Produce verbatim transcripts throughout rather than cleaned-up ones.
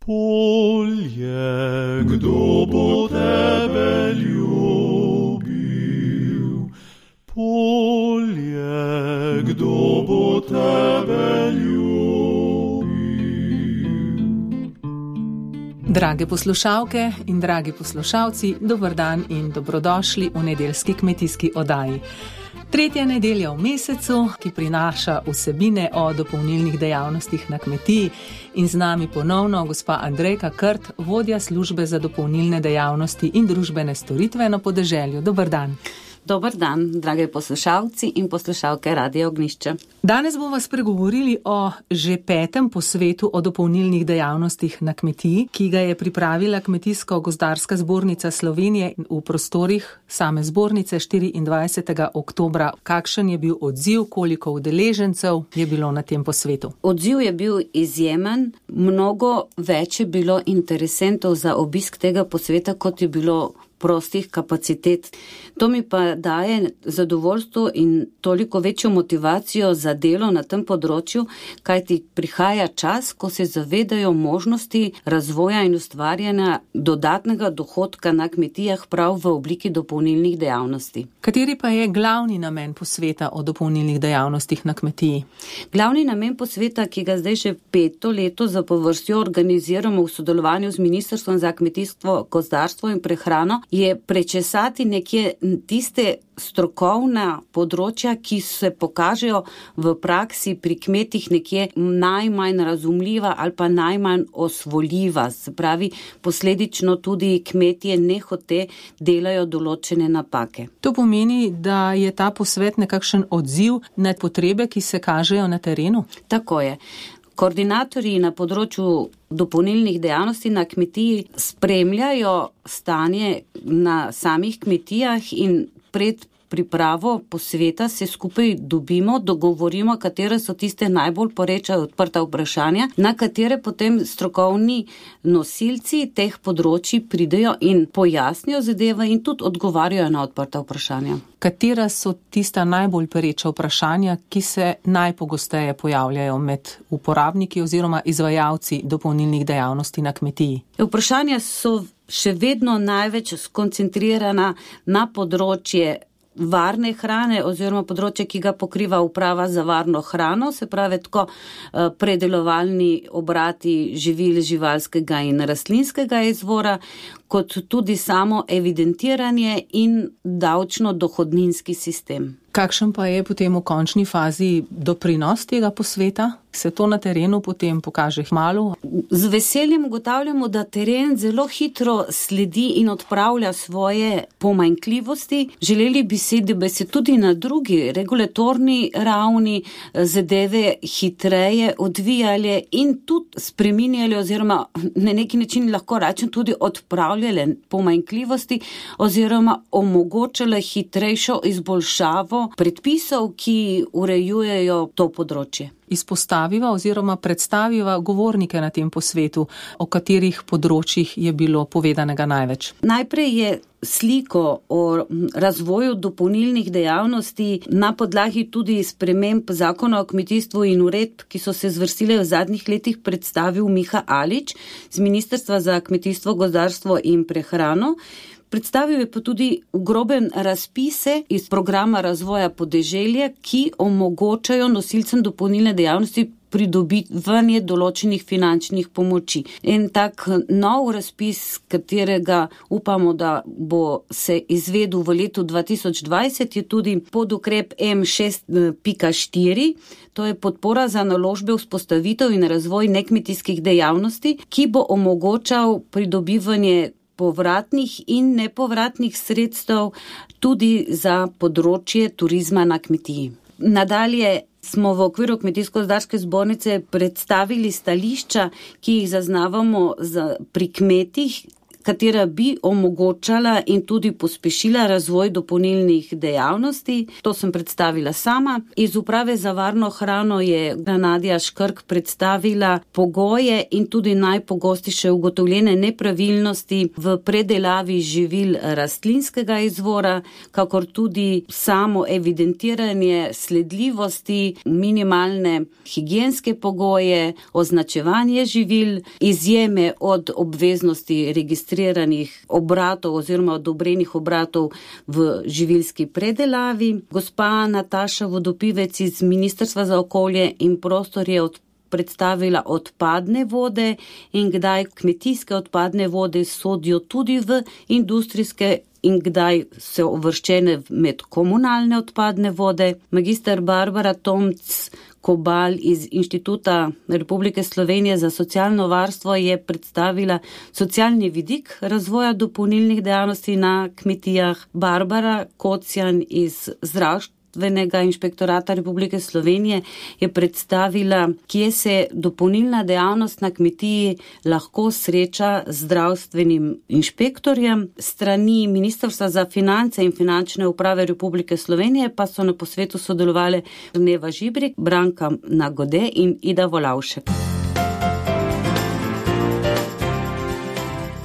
Polje, kdo bo tebe ljubil? Polje, kdo bo tebe ljubil? Drage poslušalke in dragi poslušalci, dober dan in dobrodošli v nedeljski kmetijski oddaji. Tretja nedelja v mesecu, ki prinaša vsebine o dopolnilnih dejavnostih na kmetiji, in z nami ponovno gospa Andrejka Krt, vodja službe za dopolnilne dejavnosti in družbene storitve na podeželju. Dober dan. Dober dan, drage poslušalci in poslušalke Radia Ognjišče. Danes bomo spregovorili o že petem posvetu o dopolnilnih dejavnostih na kmetiji, ki ga je pripravila Kmetijsko-gozdarska zbornica Slovenije v prostorih same zbornice štiriindvajsetega oktobra. Kakšen je bil odziv, koliko udeležencev je bilo na tem posvetu? Odziv je bil izjemen, mnogo več je bilo interesentov za obisk tega posveta, kot je bilo prostih kapacitet. To mi pa daje zadovoljstvo in toliko večjo motivacijo za delo na tem področju, kajti prihaja čas, ko se zavedajo možnosti razvoja in ustvarjanja dodatnega dohodka na kmetijah prav v obliki dopolnilnih dejavnosti. Kateri pa je glavni namen posveta o dopolnilnih dejavnostih na kmetiji? Glavni namen posveta, ki ga zdaj že peto leto zapovrstjo organiziramo v sodelovanju z Ministrstvom za kmetijstvo, gozdarstvo in prehrano, je prečesati nekje tiste strokovna področja, ki se pokažejo v praksi pri kmetih nekje najmanj razumljiva ali pa najmanj osvojljiva. Se pravi, posledično tudi kmetje nehote delajo določene napake. To pomeni, da je ta posvet nekakšen odziv na potrebe, ki se kažejo na terenu? Tako je. Koordinatorji na področju dopolnilnih dejavnosti na kmetiji spremljajo stanje na samih kmetijah in pred pripravo posveta se skupaj dobimo, dogovorimo, katere so tiste najbolj poreča odprta vprašanja, na katere potem strokovni nosilci teh področji pridejo in pojasnijo zadeve in tudi odgovarjajo na odprta vprašanja. Katera so tista najbolj pereča vprašanja, ki se najpogosteje pojavljajo med uporabniki oziroma izvajalci dopolnilnih dejavnosti na kmetiji? Vprašanja so še vedno največ skoncentrirana na področje varne hrane oziroma področje, ki ga pokriva uprava za varno hrano, se pravi tako predelovalni obrati živil živalskega in rastlinskega izvora, kot tudi samo evidentiranje in davčno-dohodninski sistem. Kakšen pa je potem v končni fazi doprinos tega posveta? Se to na terenu potem pokaže kmalu? Z veseljem ugotavljamo, da teren zelo hitro sledi in odpravlja svoje pomanjkljivosti. Želeli bi si, da bi se tudi na drugi regulatorni ravni zadeve hitreje odvijale in tudi spreminjali oziroma na neki način lahko rečem tudi odpravljale pomanjkljivosti oziroma omogočale hitrejšo izboljšavo predpisov, ki urejujejo to področje. Izpostaviva oziroma predstaviva govornike na tem posvetu, o katerih področjih je bilo povedanega največ. Najprej je sliko o razvoju dopolnilnih dejavnosti na podlagi tudi sprememb zakona o kmetijstvu in uredb, ki so se zvrstile v zadnjih letih, predstavil Miha Alič z Ministrstva za kmetijstvo, gozdarstvo in prehrano. Predstavil je pa tudi v grobem razpise iz programa razvoja podeželja, ki omogočajo nosilcem dopolnilne dejavnosti pridobivanje določenih finančnih pomoči. En tak nov razpis, katerega upamo, da bo se izvedel v letu dva tisoč dvajset, je tudi podukrep M šest pika štiri, to je podpora za naložbe, vzpostavitev in razvoj nekmetijskih dejavnosti, ki bo omogočal pridobivanje povratnih in nepovratnih sredstev tudi za področje turizma na kmetiji. Nadalje smo v okviru Kmetijsko-gozdarske zbornice predstavili stališča, ki jih zaznavamo za, pri kmetih, katera bi omogočala in tudi pospešila razvoj dopolnilnih dejavnosti. To sem predstavila sama. Iz Uprave za varno hrano je Nadja Škrk predstavila pogoje in tudi najpogostejše ugotovljene nepravilnosti v predelavi živil rastlinskega izvora, kakor tudi samo evidentiranje sledljivosti, minimalne higienske pogoje, označevanje živil, izjeme od obveznosti registriranih obratov oziroma odobrenih obratov v živilski predelavi. Gospa Nataša Vodopivec iz Ministrstva za okolje in prostor je od predstavila odpadne vode in kdaj kmetijske odpadne vode sodijo tudi v industrijske in kdaj so uvrščene med komunalne odpadne vode. Magister Barbara Tomc Kobal iz Inštituta Republike Slovenije za socialno varstvo je predstavila socialni vidik razvoja dopolnilnih dejavnosti na kmetijah. Barbara Kocjan iz Zdravstvenega inšpektorata Republike Slovenije je predstavila, kje se dopolnilna dejavnost na kmetiji lahko sreča z zdravstvenim inšpektorjem. Strani Ministrstva za finance in finančne uprave Republike Slovenije pa so na posvetu sodelovali Neva Žibrik, Branka Nagode in Ida Volavšek.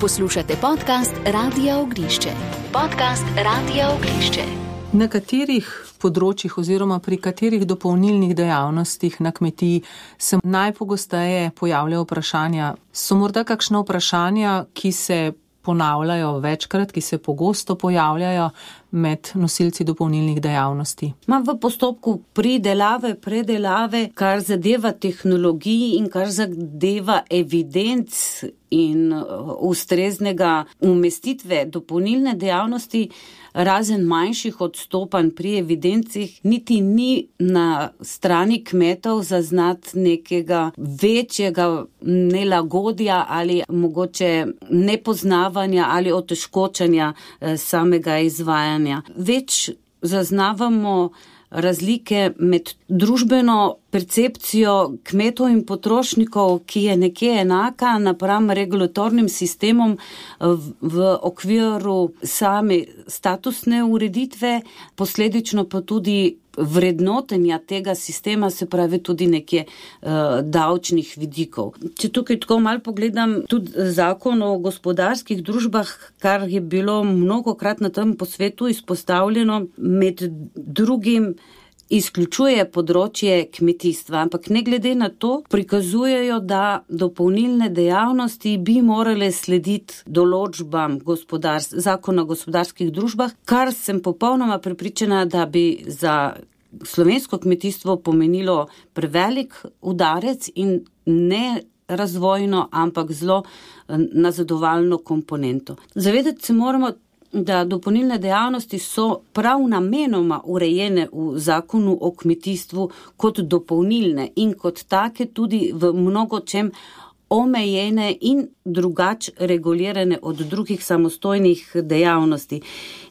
Poslušate podcast Radia Ognišče. Podcast Radia Ognišče. Na katerih področjih oziroma pri katerih dopolnilnih dejavnostih na kmetiji se najpogosteje pojavljajo vprašanja? So morda kakšna vprašanja, ki se ponavljajo večkrat, ki se pogosto pojavljajo med nosilci dopolnilnih dejavnosti? Ma v postopku pridelave, predelave, kar zadeva tehnologiji in kar zadeva evidenc in ustreznega umestitve dopolnilne dejavnosti, razen manjših odstopanj pri evidencih, niti ni na strani kmetov zaznati nekega večjega nelagodja ali mogoče nepoznavanja ali otežkočanja samega izvajanja. Več zaznavamo razlike med družbeno percepcijo kmetov in potrošnikov, ki je nekje enaka napram regulatornim sistemom v okviru same statusne ureditve, posledično pa tudi vrednotenja tega sistema, se pravi tudi nekje uh, davčnih vidikov. Če tukaj tako malo pogledam tudi zakon o gospodarskih družbah, kar je bilo mnogokrat na tem posvetu izpostavljeno, med drugim izključuje področje kmetijstva, ampak ne glede na to prikazujejo, da dopolnilne dejavnosti bi morale slediti določbam gospodars- zakona o gospodarskih družbah, kar sem popolnoma prepričana, da bi za slovensko kmetijstvo pomenilo prevelik udarec in ne razvojno, ampak zelo nazadovalno komponento. Zavedati se moramo, da dopolnilne dejavnosti so prav namenoma urejene v zakonu o kmetijstvu kot dopolnilne in kot take tudi v mnogočem omejene in drugače regulirane od drugih samostojnih dejavnosti.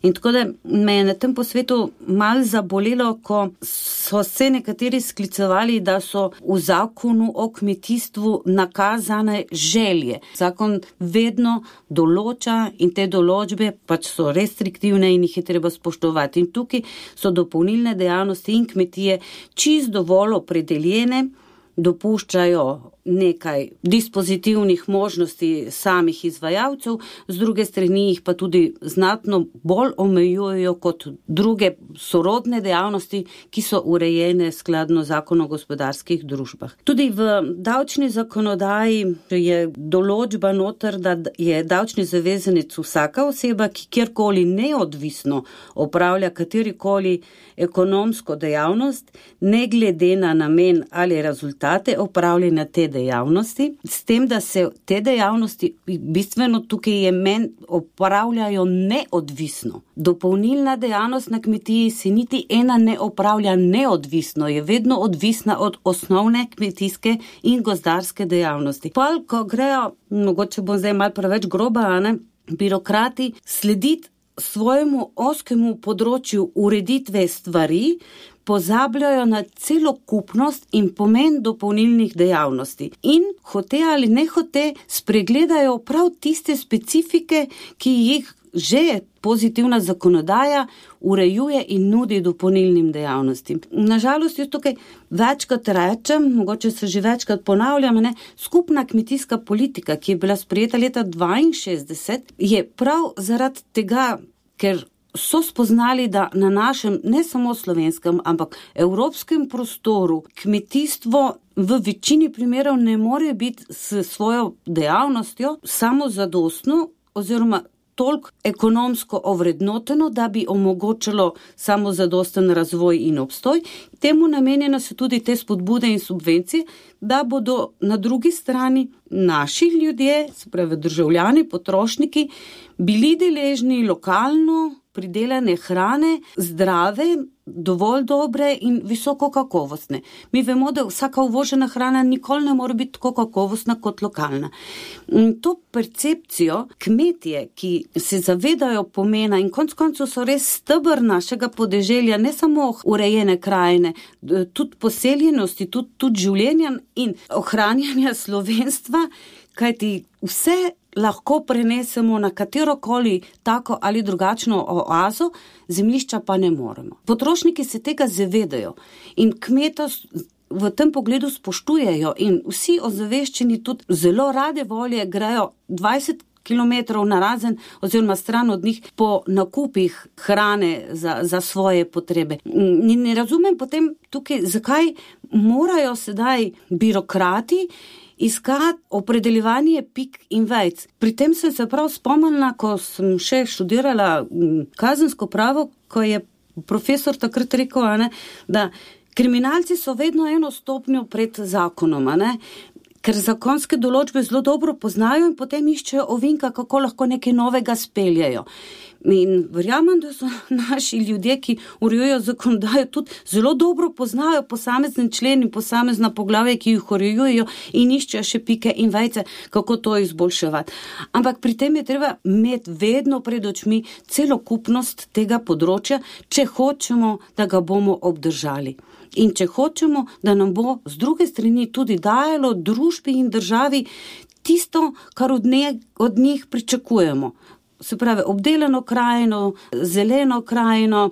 In tako da me je na tem posvetu malo zabolelo, ko so se nekateri sklicevali, da so v zakonu o kmetijstvu nakazane želje. Zakon vedno določa in te določbe pač so restriktivne in jih je treba spoštovati. In tukaj so dopolnilne dejavnosti in kmetije čisto dovolj opredeljene, dopuščajo nekaj dispozitivnih možnosti samih izvajalcev, z druge strani jih pa tudi znatno bolj omejujejo kot druge sorodne dejavnosti, ki so urejene skladno zakonu o gospodarskih družbah. Tudi v davčni zakonodaji je določba noter, da je davčni zavezanec vsaka oseba, ki kjerkoli neodvisno opravlja katerikoli ekonomsko dejavnost, ne glede na namen ali rezultate opravljanja te dejavnosti, s tem, da se te dejavnosti bistveno tukaj je men opravljajo neodvisno. Dopolnilna dejavnost na kmetiji se niti ena ne opravlja neodvisno, je vedno odvisna od osnovne kmetijske in gozdarske dejavnosti. Pol, ko grejo, mogoče bom zdaj malo preveč groba, ne, birokrati slediti svojemu oskemu področju ureditve stvari, pozabljajo na celokupnost in pomen dopolnilnih dejavnosti. In hote ali ne hote spregledajo prav tiste specifike, ki jih že pozitivna zakonodaja urejuje in nudi dopolnilnim dejavnostim. Nažalost, jaz tukaj večkrat rečem, mogoče se že večkrat ponavljam, ne, skupna kmetijska politika, ki je bila sprejeta leta dvainšestdeset, je prav zaradi tega, ker so spoznali, da na našem, ne samo slovenskem, ampak evropskem prostoru kmetijstvo v večini primerov ne more biti s svojo dejavnostjo samozadostno oziroma toliko ekonomsko ovrednoteno, da bi omogočalo samozadosten razvoj in obstoj. Temu namenjene so tudi te spodbude in subvencije, da bodo na drugi strani naši ljudje, se pravi državljani, potrošniki, bili deležni lokalno pridelane hrane, zdrave, dovolj dobre in visoko kakovostne. Mi vemo, da vsaka uvožena hrana nikoli ne more biti tako kakovostna kot lokalna. To percepcijo kmetje, ki se zavedajo pomena in konec koncev so res steber našega podeželja, ne samo urejene krajine, tudi poseljenosti, tudi, tudi življenja in ohranjanja slovenstva, kajti vse lahko prenesemo na katerokoli tako ali drugačno oazo, zemljišča pa ne moremo. Potrošniki se tega zavedajo in kmeta v tem pogledu spoštujejo in vsi ozaveščeni tudi zelo rade volje grejo dvajset kilometrov narazen oziroma stran od njih po nakupih hrane za, za svoje potrebe. Ne, ne razumem potem tukaj, zakaj morajo sedaj birokrati iskati opredeljevanje pik in vejc. Pri tem sem se prav spomnila, ko sem še študirala kazensko pravo, ko je profesor takrat rekel, ne, da kriminalci so vedno eno stopnjo pred zakonom, ne, ker zakonske določbe zelo dobro poznajo in potem iščejo ovinka, kako lahko nekaj novega speljajo. In verjamem, da so naši ljudje, ki urejujejo zakonodajo, tudi zelo dobro poznajo posamezen člen in posamezna poglavja, ki jih urejujejo in iščejo še pike in vejce, kako to izboljševati. Ampak pri tem je treba imeti vedno pred očmi celokupnost tega področja, če hočemo, da ga bomo obdržali. In če hočemo, da nam bo z druge strani tudi dajalo družbi in državi tisto, kar od, ne, od njih pričakujemo. Se pravi, obdelano krajino, zeleno krajino,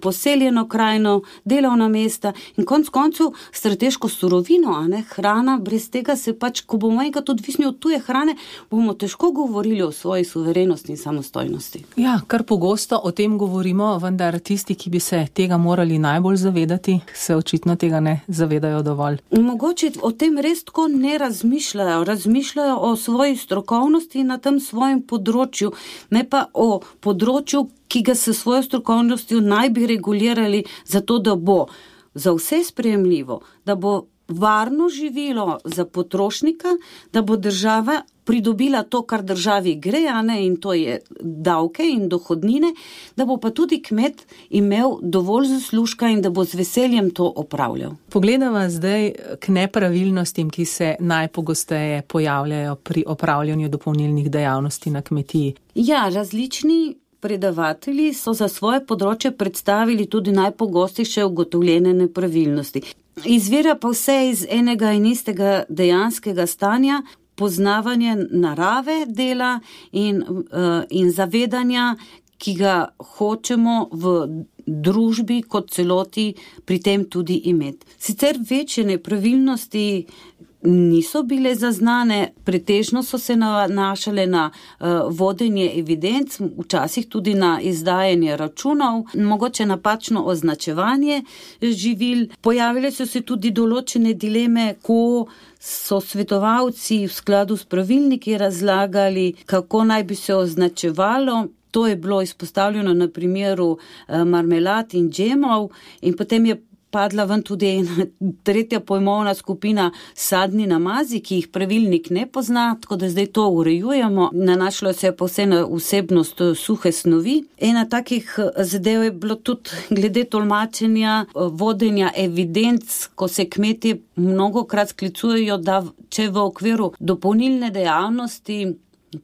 poseljeno krajino, delovna mesta in konc koncev strateško surovino, a ne, hrana, brez tega se pač, ko bomo enkrat odvisni od tuje hrane, bomo težko govorili o svoji suverenosti in samostojnosti. Ja, kar pogosto o tem govorimo, vendar tisti, ki bi se tega morali najbolj zavedati, se očitno tega ne zavedajo dovolj. Mogoče o tem res tako ne razmišljajo, razmišljajo o svoji strokovnosti na tem svojem področju, ne pa o področju, ki ga s svojo strokovnostjo naj bi regulirali zato, da bo za vse sprejemljivo, da bo varno živilo za potrošnika, da bo država pridobila to, kar državi gre, a ne, in to je davke in dohodnine, da bo pa tudi kmet imel dovolj zaslužka in da bo z veseljem to opravljal. Pogledava zdaj k nepravilnostim, ki se najpogosteje pojavljajo pri opravljanju dopolnilnih dejavnosti na kmetiji. Ja, različni predavatelji so za svoje področje predstavili tudi najpogostejše ugotovljene nepravilnosti. Izvira pa vse iz enega in istega dejanskega stanja, poznavanje narave dela in, uh, in zavedanja, ki ga hočemo v družbi kot celoti pri tem tudi imeti. Sicer večje nepravilnosti niso bile zaznane, pretežno so se nanašale na uh, vodenje evidenc, včasih tudi na izdajanje računov, mogoče napačno označevanje živil. Pojavile so se tudi določene dileme, ko so svetovalci v skladu s pravilniki razlagali, kako naj bi se označevalo. To je bilo izpostavljeno na primeru uh, marmelad in džemov in potem je padla ven tudi ena tretja pojmovna skupina sadni namazi, ki jih pravilnik ne pozna, tako da zdaj to urejujemo. Nanašalo se je pa vse na vsebnost suhe snovi. Ena takih zadev je bilo tudi glede tolmačenja, vodenja evidenc, ko se kmetje mnogokrat sklicujejo, da če v okviru dopolnilne dejavnosti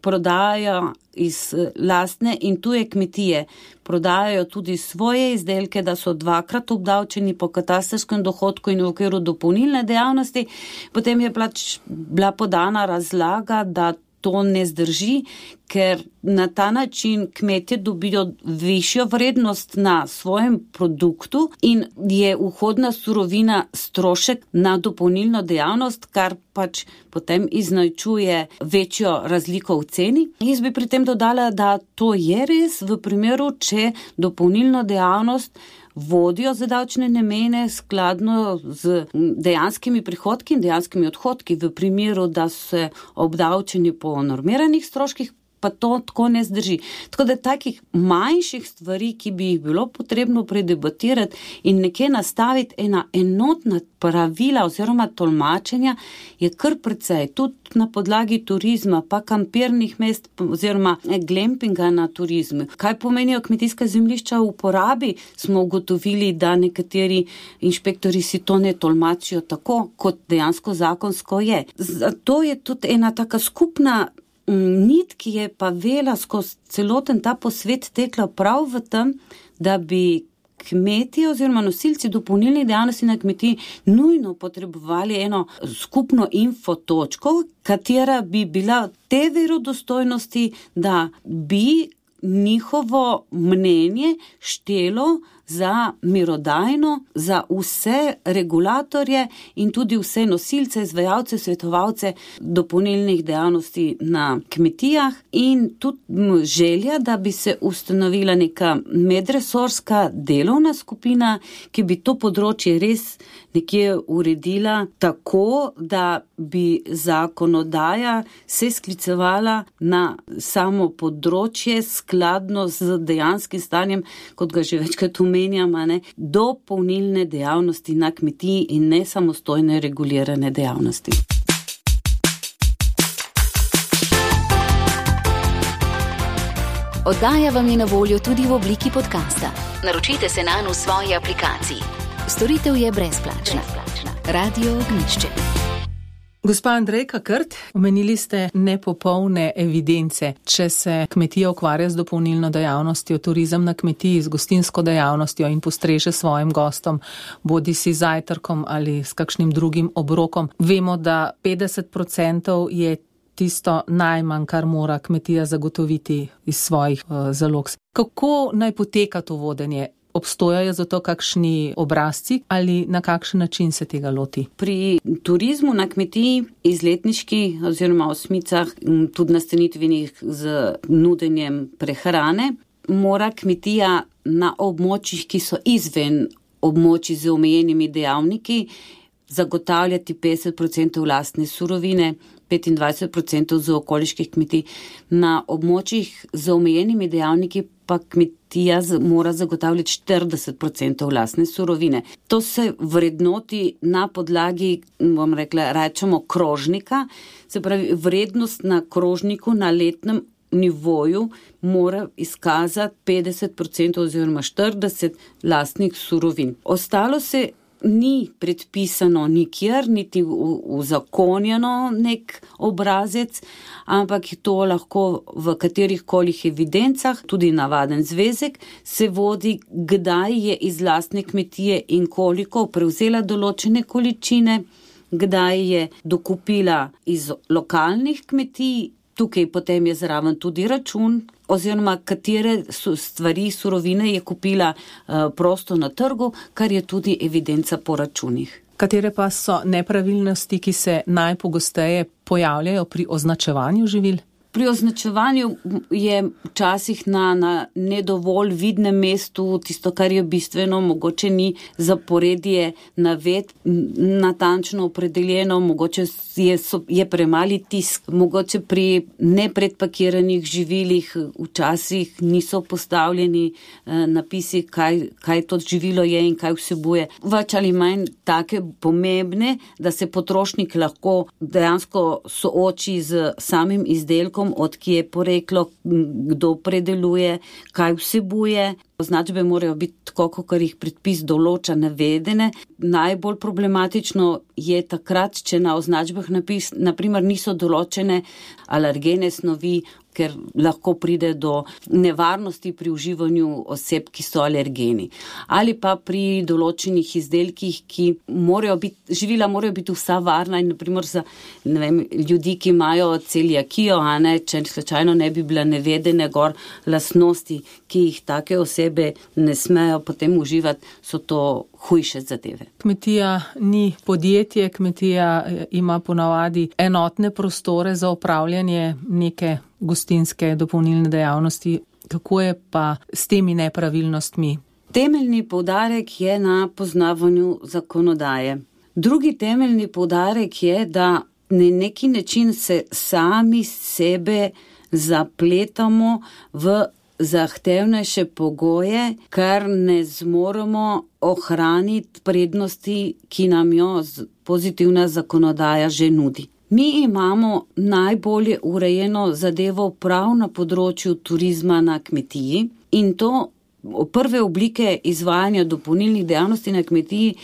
prodajajo iz lastne in tuje kmetije, prodajajo tudi svoje izdelke, da so dvakrat obdavčeni po katastrskem dohodku in v okviru dopolnilne dejavnosti, potem je pač bila podana razlaga, da to ne zdrži, ker na ta način kmetje dobijo višjo vrednost na svojem produktu in je vhodna surovina strošek na dopolnilno dejavnost, kar pač potem iznačuje večjo razliko v ceni. Jaz bi pri tem dodala, da to je res v primeru, če dopolnilno dejavnost vodijo za davčne namene skladno z dejanskimi prihodki in dejanskimi odhodki. V primeru, da se obdavčeni po normiranih stroških, pa to tako ne zdrži. Tako da takih manjših stvari, ki bi jih bilo potrebno predebatirati in nekje nastaviti ena enotna pravila oziroma tolmačenja, je kar precej. Tudi na podlagi turizma, pa kampirnih mest oziroma glampinga na turizmu. Kaj pomenijo kmetijska zemljišča v uporabi, smo ugotovili, da nekateri inšpektori si to ne tolmačijo tako, kot dejansko zakonsko je. Zato je tudi ena taka skupna nit, ki je pa vela skozi celoten ta posvet tekla prav v tem, da bi kmetje oziroma nosilci dopolnilnih dejavnosti na kmetiji nujno potrebovali eno skupno infotočko, katera bi bila te verodostojnosti, da bi njihovo mnenje štelo za mirodajno, za vse regulatorje in tudi vse nosilce, izvajalce, svetovalce dopolnilnih dejavnosti na kmetijah in tudi želja, da bi se ustanovila neka medresorska delovna skupina, ki bi to področje res nekje uredila tako, da bi zakonodaja se sklicevala na samo področje skladno z dejanskim stanjem, kot ga že večkrat omenjam, ne, dopolnilne dejavnosti na kmetiji in ne samostojne regulirane dejavnosti. Oddaja vam je na voljo tudi v obliki podcasta. Naročite se nanj v svoji aplikaciji. Storitev je brezplačna. Radio Ognjišče. Gospa Andrejka Krt, omenili ste nepopolne evidence. Če se kmetija ukvarja z dopolnilno dejavnostjo, turizem na kmetiji, z gostinsko dejavnostjo in postreže svojim gostom, bodi si zajtrkom ali s kakšnim drugim obrokom, vemo, da petdeset procentov je tisto najmanj, kar mora kmetija zagotoviti iz svojih uh, zalog. Kako naj poteka to vodenje? Obstojajo za to kakšni obrazci ali na kakšen način se tega loti? Pri turizmu na kmetiji, izletniški oziroma osmicah, tudi nastanitvenih z nudenjem prehrane, mora kmetija na območjih, ki so izven območij z omejenimi dejavniki, zagotavljati petdeset procentov lastne surovine, petindvajset procentov z okoliških kmetij. Na območjih z omejenimi dejavniki pa kmetija mora zagotavljati štirideset procentov lastne surovine. To se vrednoti na podlagi, bom rekla, rečemo krožnika, se pravi vrednost na krožniku na letnem nivoju mora izkazati petdeset procentov oziroma štirideset lastnih surovin. Ostalo se ni predpisano nikjer, niti uzakonjeno nek obrazec, ampak to lahko v katerih kolih evidencah, tudi navaden zvezek, se vodi, kdaj je iz lastne kmetije in koliko prevzela določene količine, kdaj je dokupila iz lokalnih kmetij, tukaj potem je zraven tudi račun, oziroma katere stvari, surovine je kupila uh, prosto na trgu, kar je tudi evidenca po računih. Katere pa so nepravilnosti, ki se najpogosteje pojavljajo pri označevanju živil? Pri označevanju je včasih na, na nedovolj vidnem mestu tisto, kar je bistveno, mogoče ni zaporedje naved natančno opredeljeno, mogoče je, so, je premali tisk, mogoče pri nepredpakiranih živilih včasih niso postavljeni eh, napisi, kaj, kaj to živilo je in kaj vsebuje. Več ali manj take pomembne, da se potrošnik lahko dejansko sooči z samim izdelkom izdelkom, od kje je poreklo, kdo predeluje, kaj vsebuje. Označbe morajo biti tako, kot jih predpis določa, navedene. Najbolj problematično je takrat, če na označbah napis, naprimer niso določene alergene snovi, ker lahko pride do nevarnosti pri uživanju oseb, ki so alergeni. Ali pa pri določenih izdelkih, ki morajo biti, živila morajo biti vsa varna in naprimer za ne vem, ljudi, ki imajo celiakijo, a ne, če slučajno ne bi bila navedene gor lastnosti, ki jih take osebe ne smejo potem uživati, so to hujše zadeve. Kmetija ni podjetje, kmetija ima ponavadi enotne prostore za opravljanje neke gostinske dopolnilne dejavnosti. Kako je pa s temi nepravilnostmi? Temeljni poudarek je na poznavanju zakonodaje. Drugi temeljni poudarek je, da na neki način se sami sebe zapletamo v zahtevnejše pogoje, ker ne zmoremo ohraniti prednosti, ki nam jo pozitivna zakonodaja že nudi. Mi imamo najbolje urejeno zadevo prav na področju turizma na kmetiji in to prve oblike izvajanja dopolnilnih dejavnosti na kmetiji,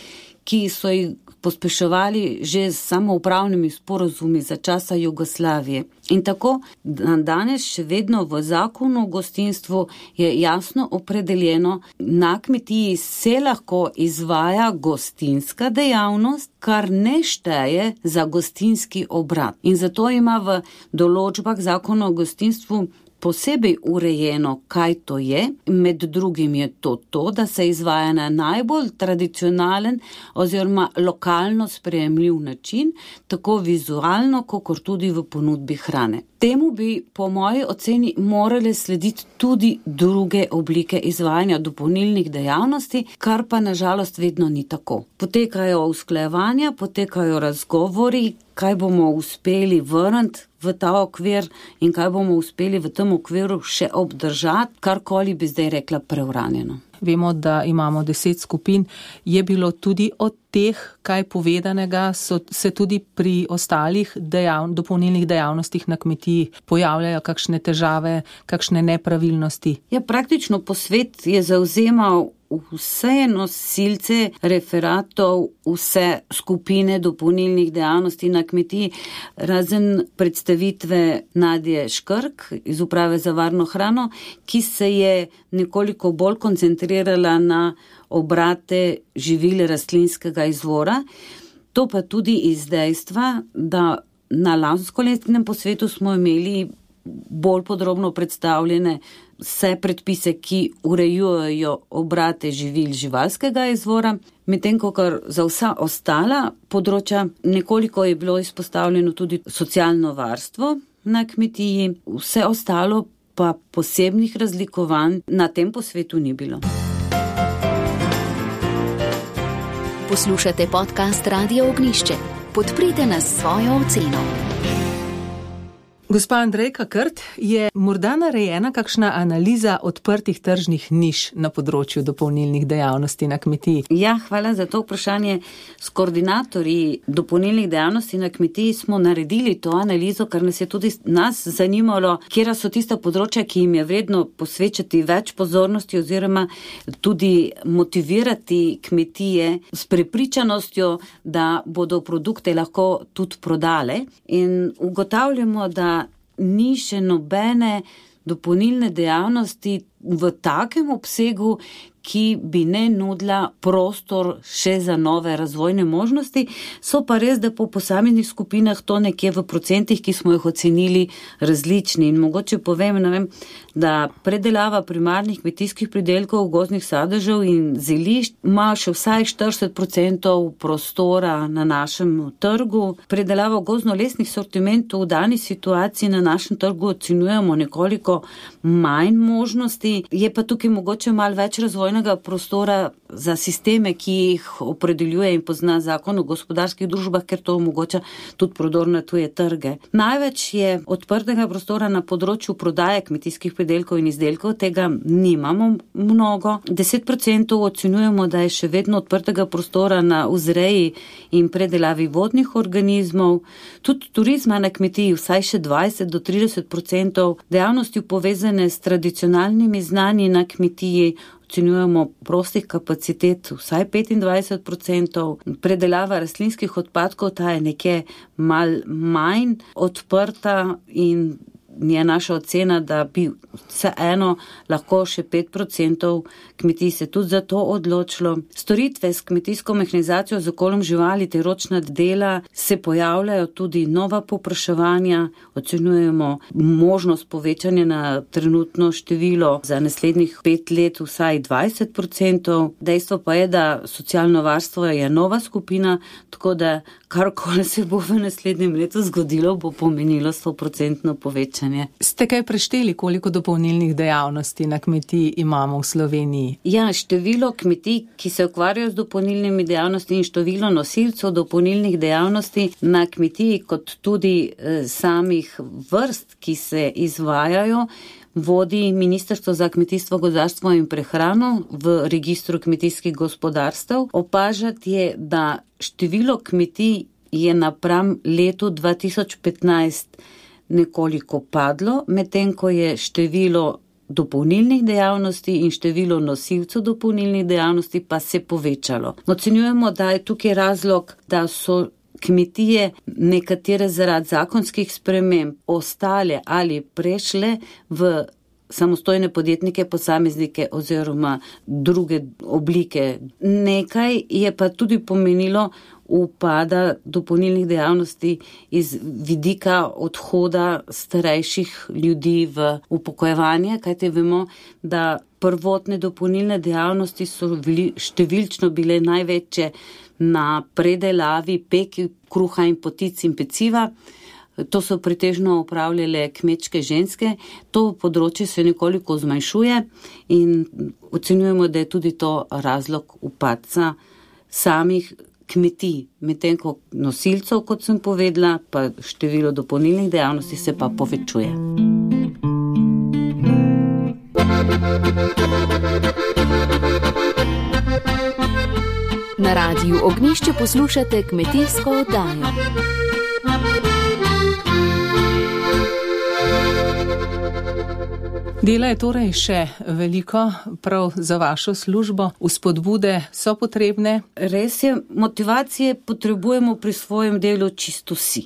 ki so jih pospeševali že s samoupravnimi sporazumi za časa Jugoslavije. In tako danes še vedno v zakonu o gostinstvu je jasno opredeljeno, na kmetiji se lahko izvaja gostinska dejavnost, kar ne šteje za gostinski obrat. In zato ima v določbah zakona o gostinstvu posebej urejeno, kaj to je. Med drugim je to to, da se izvaja na najbolj tradicionalen oziroma lokalno sprejemljiv način, tako vizualno, kakor tudi v ponudbi hrane. Temu bi po moji oceni morale slediti tudi druge oblike izvajanja dopolnilnih dejavnosti, kar pa nažalost vedno ni tako. Potekajo usklajevanja, potekajo razgovori, kaj bomo uspeli vrniti v ta okvir in kaj bomo uspeli v tem okviru še obdržati, karkoli bi zdaj rekla preuranjeno. Vemo, da imamo deset skupin. Je bilo tudi od teh, kaj povedanega, so se tudi pri ostalih dejav, dopolnilnih dejavnostih na kmetiji pojavljajo kakšne težave, kakšne nepravilnosti? Ja, praktično posvet je zavzemal vse nosilce referatov, vse skupine dopolnilnih dejavnosti na kmetiji, razen predstavitve Nadje Škrk iz Uprave za varno hrano, ki se je nekoliko bolj koncentrirala na obrate živil rastlinskega izvora. To pa tudi iz dejstva, da na lanskoletnem posvetu smo imeli bolj podrobno predstavljene vse predpise, ki urejujejo obrate živil živalskega izvora, medtem ko za vsa ostala področja nekoliko je bilo izpostavljeno tudi socialno varstvo na kmetiji, vse ostalo pa posebnih razlikovanj na tem posvetu ni bilo. Poslušate podcast Radio Ognjišče. Podprite nas s svojo oceno. Gospa Andrejka Krt, je morda narejena kakšna analiza odprtih tržnih niš na področju dopolnilnih dejavnosti na kmetiji? Ja, hvala za to vprašanje. S koordinatorji dopolnilnih dejavnosti na kmetiji smo naredili to analizo, ker nas je tudi nas zanimalo, kjera so tista področja, ki jim je vredno posvečati več pozornosti oziroma tudi motivirati kmetije s prepričanostjo, da bodo produkte lahko tudi prodale. In ugotavljamo, da ni še nobene dopolnilne dejavnosti v takem obsegu, ki bi ne nudila prostor še za nove razvojne možnosti. So pa res, da po posameznih skupinah to nekje v procentih, ki smo jih ocenili, različni. In mogoče povem, ne vem, da predelava primarnih kmetijskih pridelkov, gozdnih sadežev in zelišč ima še vsaj štirideset procentov prostora na našem trgu. Predelava gozdno-lesnih sortimentov v dani situaciji na našem trgu ocenjujemo nekoliko manj možnosti. Je pa tukaj mogoče malo več razvojnega prostora za sisteme, ki jih opredeljuje in pozna zakon o gospodarskih družbah, ker to omogoča tudi prodor na tuje trge. Največ je odprtega prostora na področju prodaje kmetijskih pridelkov in izdelkov, tega nimamo mnogo. deset procentov ocenjujemo, da je še vedno odprtega prostora na vzreji in predelavi vodnih organizmov. Tudi turizma na kmetiji vsaj še dvajset do trideset procentov, dejavnosti povezane s tradicionalnimi znanji na kmetiji, ocenjujemo prostih kapacitet vsaj petindvajset procentov, predelava rastlinskih odpadkov, ta je nekje mal manj odprta in je naša ocena, da bi vseeno lahko še pet procentov kmetij se tudi za to odločilo. Storitve s kmetijsko mehanizacijo z okoljem živali ter ročna dela se pojavljajo tudi nova povpraševanja, ocenjujemo možnost povečanja na trenutno število za naslednjih pet let vsaj dvajset procentov. Dejstvo pa je, da socialno varstvo je nova skupina, tako da karkoli se bo v naslednjem letu zgodilo, bo pomenilo sto procentno povečanje. Ste kaj prešteli, koliko dopolnilnih dejavnosti na kmetiji imamo v Sloveniji? Ja, število kmetij, ki se ukvarjajo z dopolnilnimi dejavnosti in število nosilcev dopolnilnih dejavnosti na kmetiji, kot tudi eh, samih vrst, ki se izvajajo, vodi Ministrstvo za kmetijstvo, gozdarstvo in prehrano v registru kmetijskih gospodarstev. Opažati je, da število kmetij je napram letu dva tisoč petnajst nekoliko padlo, medtem ko je število dopolnilnih dejavnosti in število nosilcev dopolnilnih dejavnosti pa se povečalo. Ocenjujemo, da je tukaj razlog, da so kmetije nekatere zaradi zakonskih sprememb ostale ali prešle v samostojne podjetnike, posameznike oziroma druge oblike. Nekaj je pa tudi pomenilo upada dopolnilnih dejavnosti iz vidika odhoda starejših ljudi v upokojevanje, kajte vemo, da prvotne dopolnilne dejavnosti so bili, številčno bile največje na predelavi peki, kruha in potic in peciva. To so pretežno upravljale kmečke ženske. To področje se nekoliko zmanjšuje in ocenjujemo, da je tudi to razlog upadca samih kmetij, medtem ko nosilcev, kot sem povedala, pa število dopolnilnih dejavnosti se pa povečuje. Na Radiu Ognjišče poslušate kmetijsko oddajo. Dela je torej še veliko, prav za vašo službo. Vzpodbude so potrebne. Res je, motivacije potrebujemo pri svojem delu čisto vsi.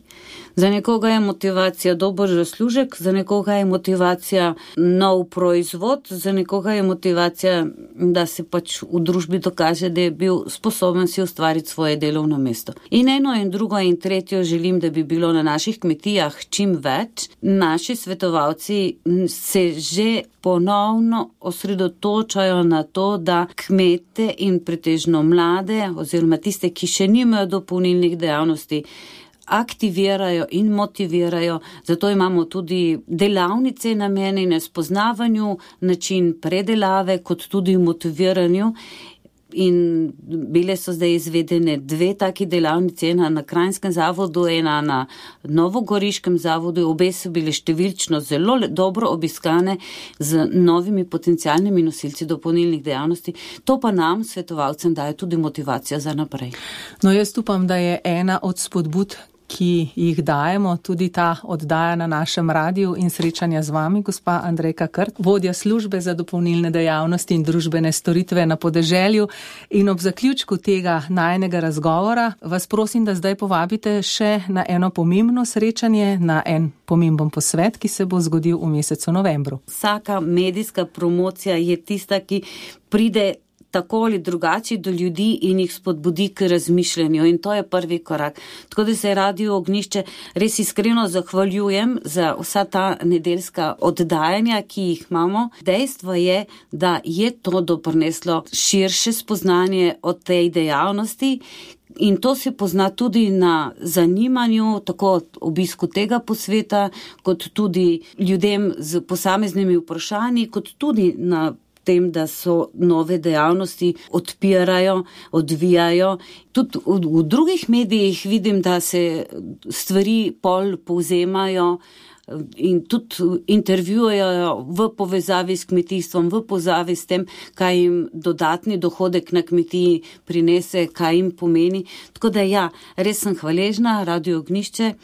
Za nekoga je motivacija dober zaslužek, za nekoga je motivacija nov proizvod, za nekoga je motivacija, da se pač v družbi dokaže, da je bil sposoben si ustvariti svoje delovno mesto. In eno in drugo in tretjo želim, da bi bilo na naših kmetijah čim več. Naši svetovalci se že ponovno osredotočajo na to, da kmete in pretežno mlade oziroma tiste, ki še nimajo dopolnilnih dejavnosti, aktivirajo in motivirajo. Zato imamo tudi delavnice namenjene spoznavanju, način predelave, kot tudi motiviranju. In bile so zdaj izvedene dve taki delavnice, ena na Kranjskem zavodu, ena na Novogoriškem zavodu. Obe so bile številčno zelo dobro obiskane z novimi potencialnimi nosilci dopolnilnih dejavnosti. To pa nam, svetovalcem, daje tudi motivacijo za naprej. No, jaz upam, da je ena od spodbud, ki jih dajemo, tudi ta oddaja na našem radiju in srečanja z vami, gospa Andrejka Krt, vodja službe za dopolnilne dejavnosti in družbene storitve na podeželju. In ob zaključku tega najinega razgovora vas prosim, da zdaj povabite še na eno pomembno srečanje, na en pomemben posvet, ki se bo zgodil v mesecu novembru. Vsaka medijska promocija je tista, ki pride tako ali drugače do ljudi in jih spodbudi k razmišljanju, in to je prvi korak. Tako da se Radio Ognjišče res iskreno zahvaljujem za vsa ta nedeljska oddajanja, ki jih imamo. Dejstvo je, da je to doprineslo širše spoznanje o tej dejavnosti. In to se pozna tudi na zanimanju, tako obisku tega posveta, kot tudi ljudem z posameznimi vprašanji, kot tudi na tem, da so nove dejavnosti odpirajo, odvijajo. Tudi v, v drugih medijih vidim, da se stvari pol povzemajo in tudi intervjujejo v povezavi s kmetijstvom, v povezavi s tem, kaj jim dodatni dohodek na kmetiji prinese, kaj jim pomeni. Tako da ja, res sem hvaležna Radio Ognjišče.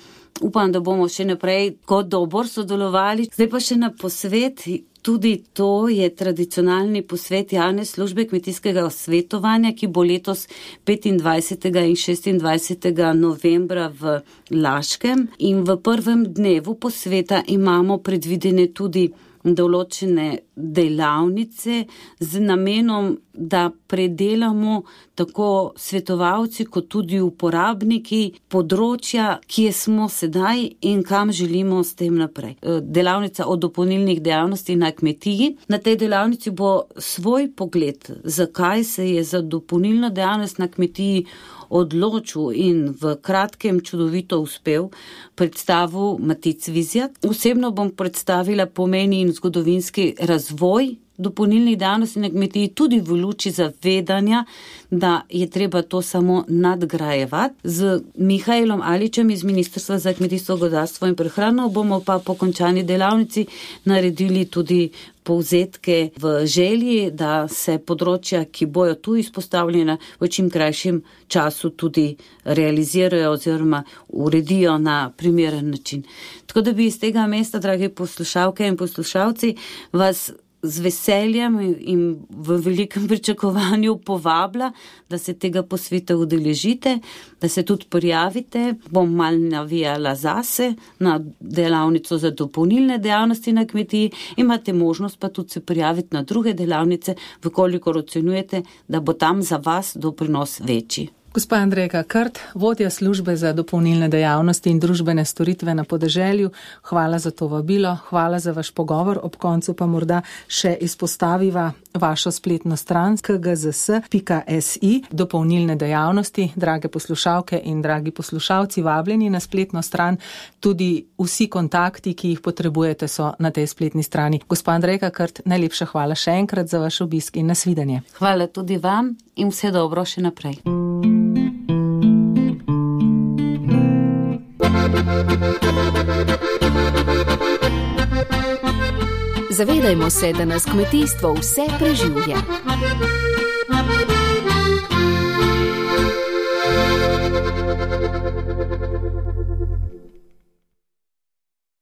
Upam, da bomo še naprej kot dobro sodelovali. Zdaj pa še na posvet. Tudi to je tradicionalni posvet javne službe kmetijskega svetovanja, ki bo letos petindvajsetega in šestindvajsetega novembra v Laškem. In v prvem dnevu posveta imamo predvidene tudi določene delavnice z namenom, da predelamo tako svetovalci kot tudi uporabniki področja, kje smo sedaj in kam želimo s tem naprej. Delavnica o dopolnilnih dejavnosti na kmetiji. Na tej delavnici bo svoj pogled, zakaj se je za dopolnilno dejavnost na kmetiji odločil in v kratkem čudovito uspel, predstavil Matic Vizjak. Osebno bom predstavila pomeni in zgodovinski razvoj dopolnilnih dejavnosti na kmetiji, tudi v luči zavedanja, da je treba to samo nadgrajevati. Z Mihajlom Aličem iz Ministrstva za kmetijstvo, gozdarstvo in prehrano bomo pa po končani delavnici naredili tudi povzetke v želji, da se področja, ki bojo tu izpostavljena, v čim krajšem času tudi realizirajo oziroma uredijo na primeren način. Tako da bi iz tega mesta, drage poslušalke in poslušalci, vas z veseljem in v velikem pričakovanju povabila, da se tega posveta udeležite, da se tudi prijavite. Bom mal navijala zase na delavnico za dopolnilne dejavnosti na kmetiji. Imate možnost pa tudi se prijaviti na druge delavnice, vkolikor ocenjujete, da bo tam za vas doprinos večji. Gospa Andrejka Krt, vodja službe za dopolnilne dejavnosti in družbene storitve na podeželju, hvala za to vabilo, hvala za vaš pogovor. Ob koncu pa morda še izpostaviva vašo spletno stran k g z s pika s i, dopolnilne dejavnosti. Drage poslušalke in dragi poslušalci, vabljeni na spletno stran. Tudi vsi kontakti, ki jih potrebujete, so na tej spletni strani. Gospa Andrejka Krt, najlepša hvala še enkrat za vaš obisk in nasvidenje. Hvala tudi vam in vse dobro še naprej. Zavedajmo se, da nas kmetijstvo vse preživlja.